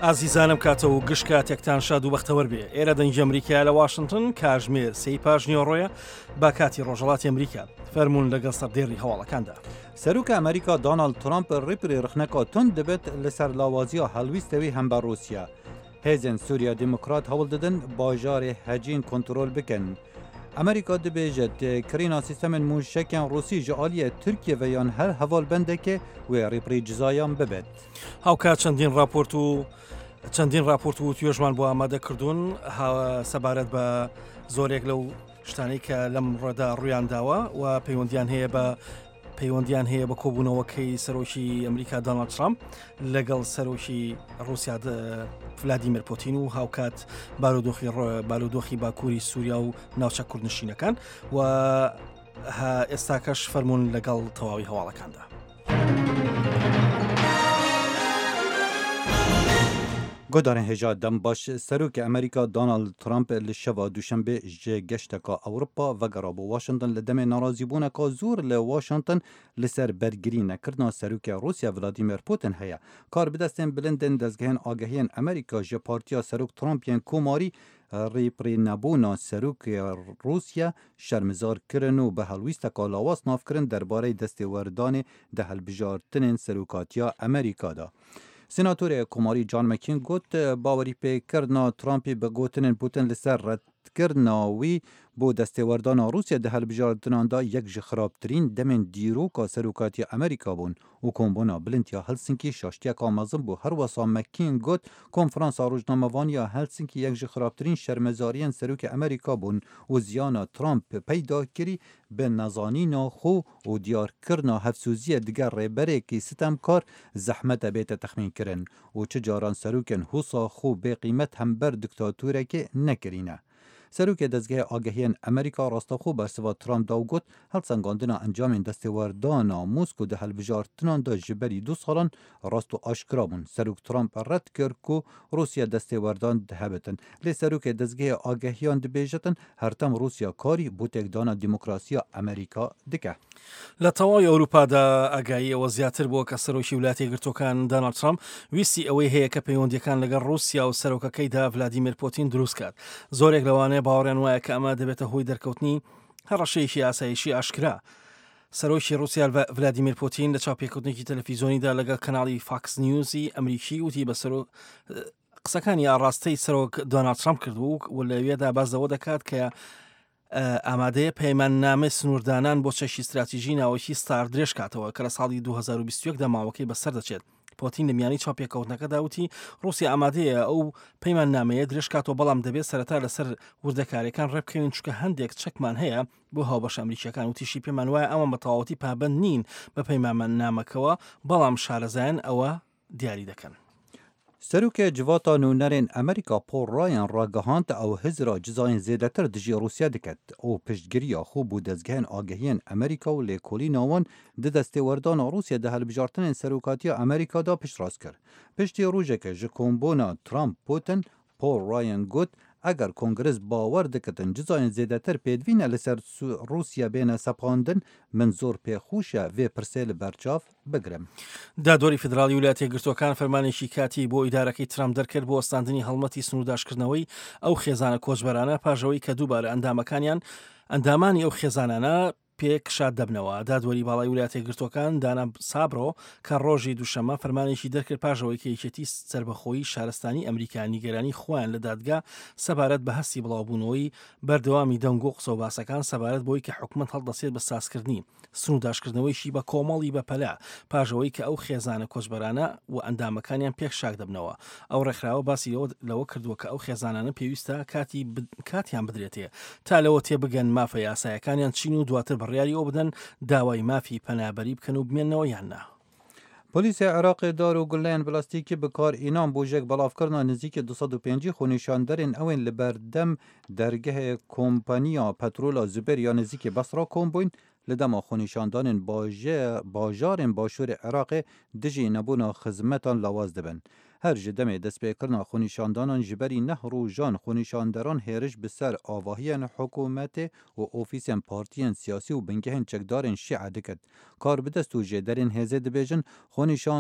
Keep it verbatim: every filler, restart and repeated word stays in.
ئازیزانم کاتە و گشت کاتێکتان شاد و بەختەوەر بێ. ئێرە دەنگی ئەمریکا لە واشنگتن، کاژمێر سێی پاش نیوەڕۆیە با کاتی ڕۆژهەڵاتی ئەمریکا. فەرموون لەگەڵ سەردێڕی هەواڵەکاندا. سەرۆکê Amerîka Donald Trump rîpirî rixneka tund dibit li ser lawaziya helwîstewî hember Rûsya. Hêzên Sûriya Demokrat hewl didin bajarê Hecîn kontrol bikin. Amerîka dibêje kirîna sîstemên mûşekên Rûsî ji aliyê Tirkiye ve yan her hevalbendekê wê rîpirî cizayan bibit. هاوکات چەندین راپۆرت و چەندین راپۆرت و توێژمان بۆ ئامادە کردوون سەبارەت بە زۆرێک لەو شتانەی کە لەم ڕێدا ڕویان داوە و پەیوەندیان هەیە بە پەیوەندیان هەیە بە کۆبوونەوەکەی سەرۆکی ئەمریکا دۆناڵد ترامپ لەگەڵ سەرۆکی ڕوسیا ڤلادیمیر پوتین و هاوکات بارودۆخی بارودۆخی باکووری سووریا و ناوچە کوردنشینەکان و ئێستاکەش فەرمونون لەگەڵ تەواوی هەواڵەکاندا. گۆدارên hêja dem baş Serokê Amerîka Donald Trump li şeva Duşembê ji geşteka Ewropa vegera bo Washington li demê narazîbûneka zor li Washington li ser bergirî nekirina Serokê Rûsya Vladimir Putin heye. Karbidestên bilindên dezgehên agahiyên Amerîka ji partiya Serok Trump yên Komarî rêpirînebûna Serokê Rûsya şermezar kirin û bi helwîsteka lawaz navkirin derbarê destêwerdanê di hilbijartinên serokatiya Amerîka de. Senatorê Komarî John McCain got bawerî pêkirina Trumpê bi gotinên Putin li ser redkirina wî bo destêwerdana Rûsya di hilbijartinan de yek ji xirabtirîn demên dîroka serokatiya Amerîka bûn û kombûna bilind ya Helsinkî şaştiyeka mezin bû. Her wisa McCain got konferansa rojnamevaniya Helsinkî yek ji xirabtirîn şermezariyên serokê Amerîka bûn û ziyana Trump peyda kirî bi nezanîna xwe û diyarkirina hevsûziye diger rêberekî sitemkar zehmet e bête texmînkirin û çi caran serokên hûsa xwe bêqîmet hember diktatorekê nekirîne. Serokê dezgehê agahiyên Amerîka rastexwe bersiva Trump da û got helsengandina encamên destêwerdana Moskow di hilbijartinan de ji berî du salan rast û aşkira bûn. Serok Trump red kir ku Rûsya destêwerdan dihebitin. Lê serokê dezgehê agehiyan dibêjitin hertem Rûsya karî bo têkdana demokrasiya Amerîka dike. لە تەواوی ئەوروپادا ئاگاییەوە زیاتر بووە کە سەرۆکی وڵاتی یەکگرتووەکان دۆناڵد ترامپ ویستی ئەوەی هەیە کە پەیوەندیەکان لەگەڵ ڕوسیا و سەرۆکەکەیدا ڤلادیمیر پوتین دروست کات. زۆرێک لەوانەیە باوەڕیان وایە کە ئەمە دەبێتە هۆی دەرکەوتنی هەڕەشەیەکی ئاسایشی ئاشکرا. سەرۆکی ڕوسیا ڤلادیمیر پوتین لە چاوپێکەوتنێکی تەلەفیزیۆنیدا لەگەڵ کەناڵی فاکس نیوزی ئەمریکی وتی بە سەرۆک قسەکانی ئاڕاستەی سەرۆک دۆناڵد ترامپ کردبوو و لەوێدا باس لەوە دەکات کە ئامادەیە پەیماننامەی سنووردانان بۆ چەکی استراتیژی ناوەکی ستار درێژ کاتەوە کە لە ساڵی دوو هەزار و بیست و یەک دا ماوەکەی بەسەر دەچێت. پۆتین لە میانی چاوپێکەوتنەکەدا وتی ڕوسیا ئامادەیە ئەو پەیماننامەیە درێژ کاتەوە، بەڵام دەبێت سەرەتا لەسەر وردەکاریەکان ڕێبکەوین چونکە هەندێک چەکمان هەیە بۆ هاوبەشە ئەمریکیەکان. وتیشی پێمان وایە ئەوان بە تەواوەتی پابەند نین بە پەیماننامەکەوە، بەڵام شارەزایان ئەوە دیاری دەکەن. Serokê Civata Nûnerên Amerîka Paul Ryan ragihand ew hizra cizayên zêdetir dijî Rûsya diket û piştgiriya xwe bo dezgehên agahiyên Amerîka û lêkolîna wan di destêwerdana Rûsya di hilbijartinên serokatiya Amerîka de piştrast kir. Piştî rojeke ji kombûna Trump Putin, Paul Ryan got eger Kongres bawer dikitin cizayên zêdetir pêdivîne li ser Rûsya bêne sepandin, min zor pêxweş e vê pirsê li berçav bigirim. دادوەری فیدراڵی ویلایەتە یەکگرتووەکان فەرمانێکی کاتی بۆ ئیدارەکەی ترامپ دەرکرد بۆ وەستاندنی هەڵمەتی سنوورداشکردنەوەی ئەو خێزانە کۆچبەرانە پاژەوەی کە دووبارە ئەندامەکانیان ئەندامانی ئەو خێزانانە پێکشاد دەبنەوە. دادوەری باڵای ویلایەتە یەکگرتووەکان دانا سابرۆ کە ڕۆژی دووشەممە فەرمانێکی دەرکرد پاژەوەی کە یەکێتی سەربەخۆیی شارستانی ئەمریکا نیگەرانی خۆیان لە دادگا سەبارەت بە هەستی بڵاوبوونەوەی بەردەوامی دەنگ و قسە و باسەکان سەبارەت بۆی کە حکومەت هەڵدەسێت بە سازکردنی سنوورداشکردنەوەیشی بە کۆمەڵی بەپەلە پاژەوەی کە ئەو خێزانە کۆچبەرانە و ئەندامەکانیان پێک شاک دەبنەوە. ئەو ڕێکخراوە باسی لەوە کردووە کە ئەو خێزانانە پێویستە کاتی کاتیان بدرێتێ تا لەوە تێبگەن مافە یاسایەکانیان چین و دواتر بڕیاری ئەو بدەن داوای مافی پەنابەری بکەن و بمێنەوە یان نا. پۆلیسی عێراقی دار و گولەیان پلاستیکی بکار ئینان بۆ ژێک بەڵافکردنا نزیکی دو سەد و پێنجی خۆنیشاندەرên ئەوên li berdem dergehê kompaniya petrola Zubêr ya nêzîkî Besra kom bûn li dema xwenîşandanên bajarên başûrê Iraqê dijî nebûna xizmetan lawaz dibin. Her ji demê destpêkirina xwenîşandanan ji berî neh rojan xwenîşanderan hêriş bi ser avahiyên hikûmetê û ofîsên partiyên siyasî û bingehên çekdarên Şîe diket. Karbidest û jêderên hêzê dibêjin xwenîşan